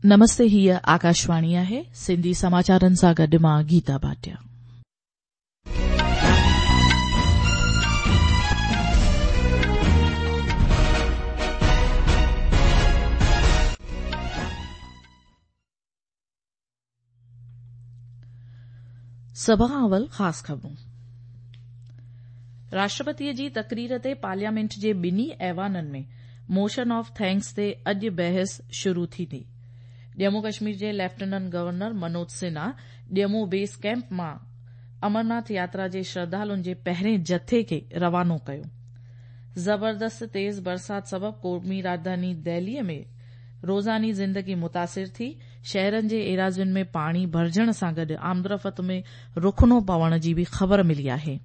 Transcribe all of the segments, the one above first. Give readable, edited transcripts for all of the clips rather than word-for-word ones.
نمستي هيء آڪاشواڻي آهي سنڌي سماچارن سان گڏ مان گيتا ڀاٽيا. سڀ کان اول خاص خبرون. راشٽرپتيء جي تقرير تي پارليامينٽ جي ٻنهي ايوانن ۾ موشن آف thanks تي اڄ بحث شروع ٿيندي. ڄمون ڪشمير جي lieutenant governor Manoj Sinha Jammu base camp مان امرناٿ ياترا جي شرڌالن جي پهرين جٿي کي روانو ڪيو. زبردست تيز برسات سبب قومي راڄڌاني دهليء ۾ روزاني زندگي متاثر ٿي، شهرن جي ايراضين ۾ پاڻي ڀرجڻ سان گڏ آمدرفت ۾ رخنو پوڻ جي به خبر ملي آهي.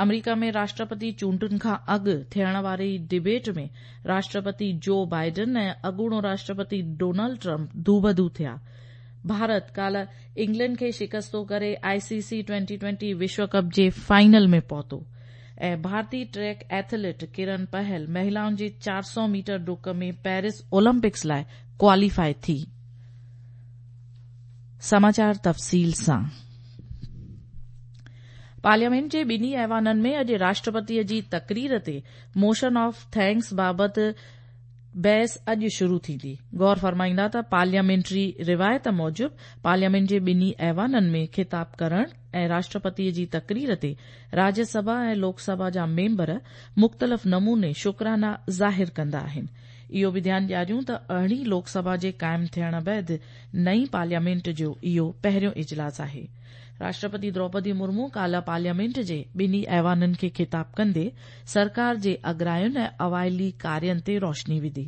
آمريڪا ۾ راشٽرپتي چونڊن کان اڳ ٿيڻ واري ڊبيٽ ۾ راشٽرپتي جو بائيڊن ۽ اڳوڻو راشٽرپتي ڊونلڊ ٽرمپ دوبدو ٿيا. ڀارت ڪالهه انگلينڊ کي شڪستو ڪري آء سي سي ٽوئنٽي ٽوئنٽي وشو ڪپ جي فائنل ۾ پهتو ۽ ڀارتي ٽريڪ ايٿليٽ ڪرن پهل مهلائن جي 400 ميٽر ڊڪ ۾ پيرس اولمپڪس لاء ڪواليفائي ٿي. سماچار تفصيل سان پارليامينٽ جي ٻنهي ايوانن ۾ اڄ راشٽرپتي جي تقرير تي موشن آف thanks بابت بحث اڄ شروع ٿيندي. غور فرمائيندا ته پارليامينٽري روايت موجب پارليامينٽ جي ٻنهي ايوانن ۾ خطاب ڪرڻ ۽ راشٽرپتي جي تقرير تي راجيه سڀا ۽ لوڪ سڀا جا ميمبر مختلف نموني شڪرانا ظاهر ڪندا آهن. اهو به ڌيان ڏياريون ته ارڙهين لوڪ سڀا جي قائم ٿيڻ بعد نئين پارليامينٽ جو اهو پهريون اجلاس آهي. راشٽرپتي دروپدي مرمو ڪالهه پارليامينٽ جي ٻنهي ايوانن کي خطاب ڪندي سرڪار جي اڳراين ۽ اوائلي ڪارين تي روشني وڌي.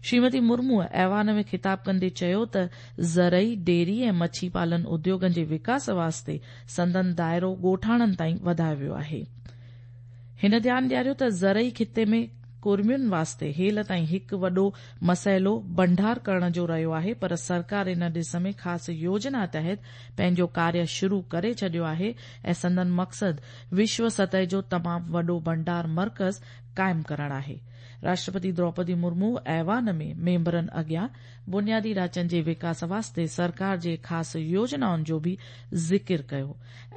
شريمتي مرموء ايوان ۾ خطاب ڪندي چيو ته زرعي، ڊيري ۽ مڇي پالن اديوگن جي وڪاس واسطي سندن دائرو ڳوٺاڻن تائين وڌايو ويو آهي. هن ڌيان ڏياريو ته زرعي خطي ۾ ڪرمين واسطي هيل تائين هڪ وڏو مسئلو ڀنڊار ڪرڻ جو رهيو آهي پر سرڪار ان ڏس ۾ خاص يوجنا تحت پنهنجو ڪاريه شروع ڪري ڇڏيو آهي ۽ سندن مقصد وشو سطح جو تمام وڏو ڀنڊار مرڪز قائم ڪرڻ آهي. راشٽرپتي دروپدي مرمو ايوان ۾ ميمبرن اڳيان بنيادي ڍانچن جي وڪاس واسطي سرڪار جي خاص يوجنائن جو به ذڪر ڪيو.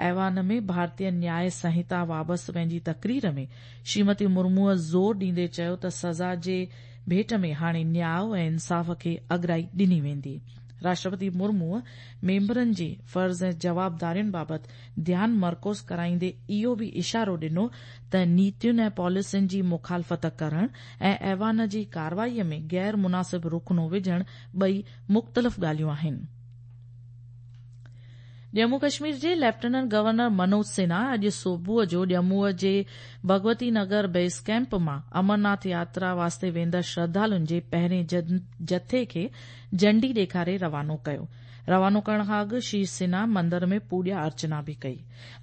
ايوان ۾ ڀارتيه نياء سنهتا بابت پنهنجي تقرير ۾ شريمتي مرموء زور ڏيندي چيو ته سزا جي ڀيٽ ۾ هاڻي نياء ۽ انصاف کي اڳرائي ڏني ويندي. راشٽرپتي مرموء ميمبرن جي فرض ۽ جوابدارين بابت ڌيان مرڪوز ڪرائيندي اهو به اشارو ڏنو ته نيتين ۽ پاليسين جي مخالفت ڪرڻ ۽ ايوان جي ڪارروائي ۾ غير مناسب رخنو وجهڻ ٻئي مختلف ڳالهيون آهن. ڄمون ڪشمير جي ليفٽيننٽ گورنر منوج سنها اڄ صبح جو ڄمونء جي ڀڳوتي نگر بيس ڪئمپ مان امرناٿ ياترا واسطي ويندڙ شرڌالن جي پهرين جٿي کي جهنڊي ڏيکاري روانو ڪيو. روانو ڪرڻ کان اڳ شري سنها مندر ۾ پوڄا ارچنا به ڪئي.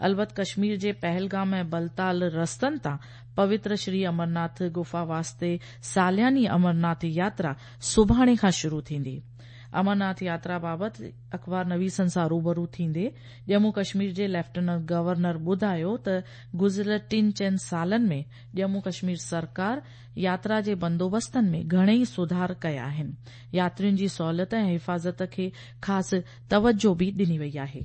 البت ڪشمير جي پهلگام ۽ بلتال رستن تان پوتر شري امرناٿ گفا واسطي سالياني امرناٿ ياترا سڀاڻي کان شروع ٿيندي. امرناٿ ياترا بابت اخبار نويسن سان روبرو ٿيندي ڄمون ڪشمير جي ليفٽيننٽ گورنر ٻڌايو ته گذريل ٽن چئن سالن ۾ ڄمون ڪشمير سرڪار ياترا جي بندوبستن ۾ گهڻيئي سڌار ڪيا آهن. ياترين جي سهولت ۽ حفاظت کي خاص توجهه به ڏني وئي آهي.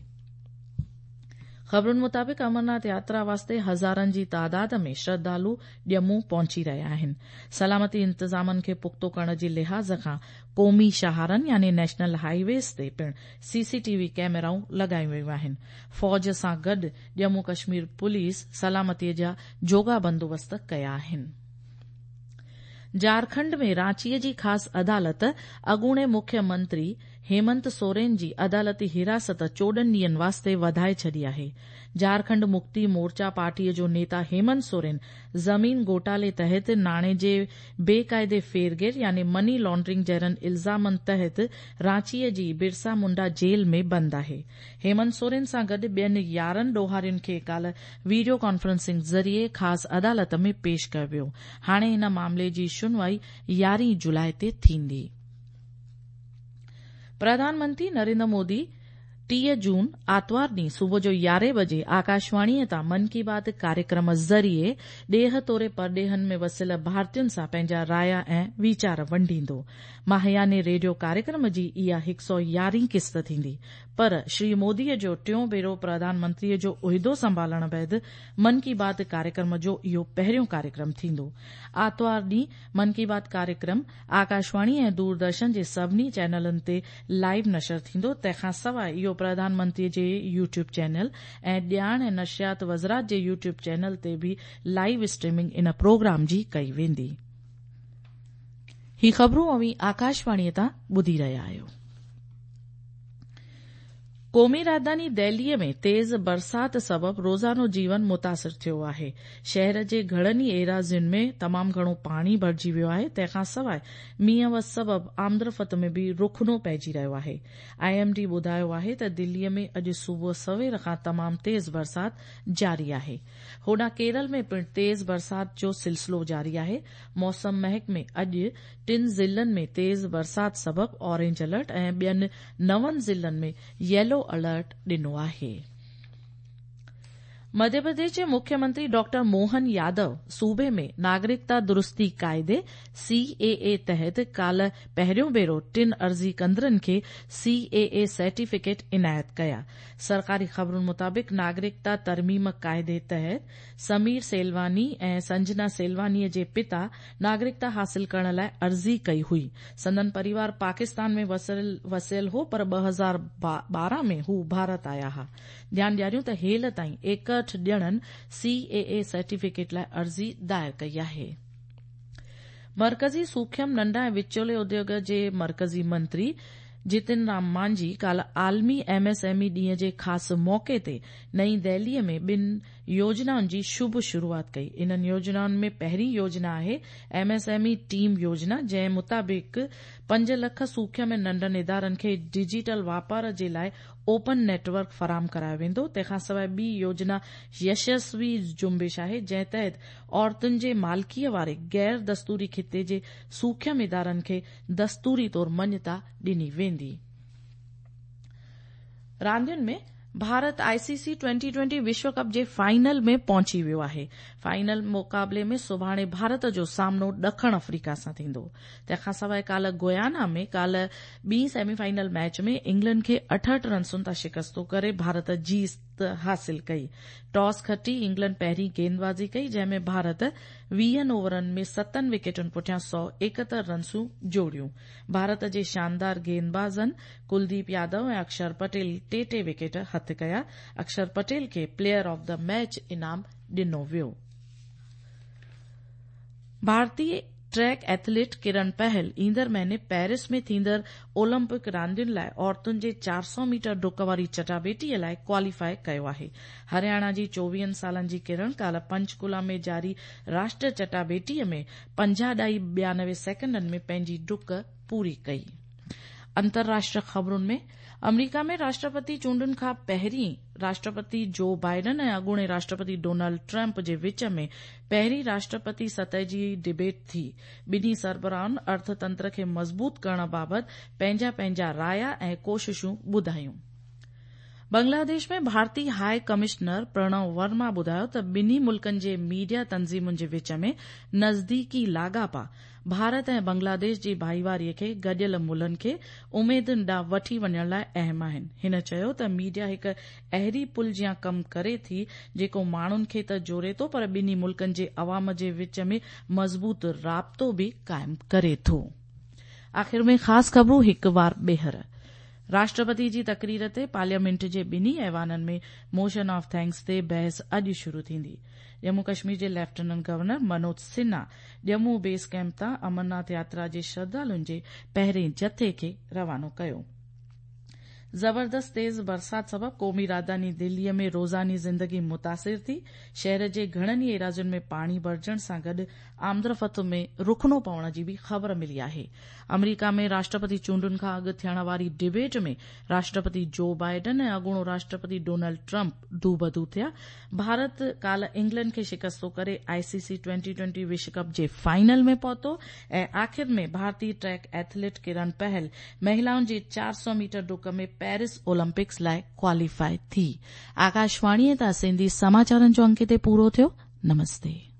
خبرن مطابق امرناٿ ياترا واسطي هزارن جي تعداد ۾ شرڌالو ڄمون پهچي رهيا آهن. سلامتي انتظامن کي پختو ڪرڻ جي لحاظ کان قومي شاهراهن يعني نيشنل هاء ويز تي پڻ سي سي ٽي وي ڪئميرائون لڳايون ويون آهن. فوج سان گڏ ڄمون ڪشمير پوليس سلامتي جا جوڳا بندوبست ڪيا آهن. جهارکنڊ ۾ رانچي جي خاص عدالت اڳوڻي مکيه منتري هيمنت سورين جي عدالتي حراست 14 ڏينهن واسطي وڌائي ڇڏي آهي. جهارکنڊ مڪتي مورچا پارٽي جو نيتا هيمنت سورين زمين گهوٽالي تحت ناڻي جي بي قاعدي ڦيرگهير يعني مني لانڊرنگ جهڙن الزامن تحت رانچي جي برسا منڊا جيل ۾ بند آهي. هيمنت سورين سان گڏ ٻين 11 ڏوهارين کي ڪالهه ويڊيو ڪانفرنسنگ ذريعي خاص عدالت ۾ پيش ڪيو ويو. هاڻي ان معاملي جي شنوائي 11 جولاء تي ٿيندي. پرڌان منتري نريندر مودي 30 جون آتوار ڏينهن صبح جو 11 بجي آڪاشواڻيء تان من ڪي بات ڪاريڪرم ذريعي ڏيهه توڙي پرڏيهن ۾ وسيل ڀارتين سان پنهنجا رايا ۽ ويچار ونڊيندو. ماهياني ريڊيو ڪاريڪرم جي اها 111 قسط ٿيندي. پر شري موديء جو ٽيون ڀيرو پرڌان منتريء جو عهدو سنڀالڻ بعد من ڪي بات ڪاريڪرم جو اهو پهريون ڪاريڪرم ٿيندو. آتوار ڏينهن من ڪي بات ڪاريڪرم آڪاشواڻي ۽ دوردرشن جي سڀني چينلن تي لائيو نشر ٿيندو، تنهن کان سواء اهو پرڌان منتري جي يوٽيوب چينل ۽ ڄاڻ ۽ نشريات وزارت جي يوٽيوب چينل تي به لائيو اسٽريمنگ ان پروگرام جي ڪئي ويندي. هي خبرون اوهين آڪاشواڻي تان ٻڌي رهيا آهيو. قومي راڄڌاني دهليء ۾ تيز برسات سبب روزانو جيون متاثر ٿيو آهي. شهر جي گهڻن ئي ايراضين ۾ تمام گهڻو پاڻي ڀرجي ويو آهي، تنهن کان سواء مينهن وس سبب آمدرفت ۾ به رخنو پئجي رهيو آهي. I M D ٻڌايو آهي ته دهليء ۾ اڄ صبح سوير کان تمام تيز برسات جاري آهي. هوڏانهن ڪيرل ۾ پڻ تيز برسات جو سلسلو جاري آهي. موسم محڪمي اڄ ٽن ضلعن ۾ تيز برسات سبب اورينج الرٽ ۽ ٻين نون ضلعن ۾ ييلو الرٽ ڏنو آهي. مڌيه پرديش جي مکيه منتري ڊاڪٽر موهن يادو صوبي ۾ ناگرڪتا درستي قاعدي، سي اي اي، تحت ڪالهه پهريون ڀيرو ٽن عرضي ڪندڙن کي سي اي اي سرٽيفڪيٽ عنايت ڪيا. سرڪاري خبرن مطابق ناگرڪتا ترميم قاعدي تحت سمير سيلواني ۽ سنجنا سيلواني جي پتا ناگرڪتا حاصل ڪرڻ لاء عرضي ڪئي هئي. سندن پريوار پاڪستان ۾ وسيل هو پر 2012 ۾ هو ڀارت آيا ها. ڌيان ڏياريون ته هيل تائين 61 ڄڻن سي اي اي سرٽيفڪيٽ لاء عرضي دائر ڪئي آهي. مرڪزي سوکيم، ننڍا ۽ وچولي اديوڳ جي مرڪزي منتري جتن رام مانجهي ڪالهه عالمي ايم ايس ايم اي ڏينهن جي خاص موقعي تي نئين دهلي ۾ ٻن يوجنائن جي شڀ شروعات ڪئي. انهن يوجنائن ۾ پهرين يوجنا آهي M S M E team يوجنا جنهن مطابق پنج لک سوکيم ۽ ننڍن ادارن کي ڊجيٽل واپار جي لاء اوپن نيٽ ورڪ فراهم ڪرايو ويندو. تنهن کان سواء ٻي يوجنا يشسوي جنبش آهي جنهن تحت عورتن جي مالڪيء واري غير دستوري کاتي جي سوکيم ادارن کي دستوري طور مڃتا ڏني ويندي. راندين ۾ Bharat I C C twenty twenty وشو ڪپ جي فائنل ۾ پهچي ويو آهي. فائنل مقابلي ۾ سڀاڻي ڀارت جو سامنو ڏکڻ آفريڪا سان ٿيندو. تنهن کان سواء ڪالهه گويانا ۾ ڪالهه ٻي سيمي فائنل ميچ ۾ انگلينڊ کي 68 رنسن تان شڪست ڪري ڀارت جيت حاصل ڪئي. ٽاس کٽي انگلينڊ پهرين گيندبازي ڪئي جنهن ۾ ڀارت ويهن اوورن ۾ ستن وڪيٽن پٺيان 171 رنسون جوڙيون. ڀارت جي شاندار گيندبازن ڪلديپ يادو ۽ اڪشر پٽيل ٽي ٽي وڪيٽ هٿ ڪيا. اڪشر پٽيل کي پليئر آف the match انعام ڏنو ويو. ڀارتي ٽريڪ ايٿليٽ ڪرن پهل ايندڙ مهيني پيرس ۾ ٿيندڙ اولمپڪ راندين لاء عورتن جي 400 ميٽر ڊڪ واري چٽاڀيٽي لاء ڪواليفاء ڪيو آهي. هرياڻا جي چوويهن سالن جي ڪرن ڪالهه پنچڪولا ۾ جاري راشٽر چٽاڀيٽي ۾ پنجاهه ڏائي ٻيانوي سيڪنڊن ۾ پنهنجي ڊڪ پوري ڪئي. انترراشٽريه خبرن ۾ آمريڪا ۾ راشٽرپتي چونڊن کان پهرين راشٽرپتي جو بائيڊن ۽ اڳوڻي راشٽرپتي ڊونلڊ ٽرمپ جي وچ ۾ پهرين راشٽرپتي سطح جي ڊبيٽ ٿي. ٻنهي سربراهن ارٿ تنتر کي مضبوط ڪرڻ بابت پنهنجا پنهنجا رايا ۽ ڪوششون ٻڌايون. بنگلاديش ۾ ڀارتي هاء ڪمشنر پرڻو ورما ٻڌايو ته ٻنهي ملڪن جي ميڊيا تنظيمن جي وچ ۾ نزديڪي لاڳاپا ڀارت ۽ بنگلاديش جي ڀائيواري کي گڏيل ملهن کي اميدن ڏانهن وٺي وڃڻ لاء اهم آهن. هن چيو ته ميڊيا هڪ اهڙي پل جيان ڪم ڪري ٿي جيڪو ماڻهن کي ته جوڙي ٿو پر ٻنهي ملڪن جي عوام جي وچ ۾ مضبوط رابطو به قائم ڪري ٿو. آخر ۾ خاص خبرون هڪ وار ٻيهر. راشٽرپتي جي تقرير تي پارليامينٽ جي ٻنهي ايوانن ۾ موشن آف thanks تي بحث اڄ شروع ٿيندي. ڄمون ڪشمير جي lieutenant governor Manoj Sinha Jammu base camp تان امرناٿ ياترا جي شرڌالن جي پهرين جٿي کي روانو ڪيو. زبردست تيز برسات سبب قومي راڄڌاني دهلي ۾ روزاني زندگي متاثر ٿي، شهر جي گهڻن ئي ايراضين ۾ پاڻي ڀرجڻ سان گڏ آمدرفت ۾ رخنو پوڻ جي به خبر ملي آهي. آمريڪا ۾ راشٽرپتي چونڊن کان اڳ ٿيڻ واري ڊبيٽ ۾ راشٽرپتي جو بائيڊن ۽ اڳوڻو راشٽرپتي ڊونلڊ ٽرمپ دوبدو ٿيا. ڀارت ڪالهه انگلينڊ کي شڪستو ڪري آء سي سي ٽوئنٽي ٽوئنٽي وشو ڪپ جي فائنل ۾ پهتو ۽ آخر ۾ ڀارتي ٽريڪ ايٿليٽ ڪرن پهل مهلائن جي 400 ميٽر ڊڪ ۾ پيرس اولمپڪس لاء ڪواليفائي ٿي. آڪاشواڻيء تان سنڌي سماچارن جو انڪ هتي پورو ٿيو. نمستي.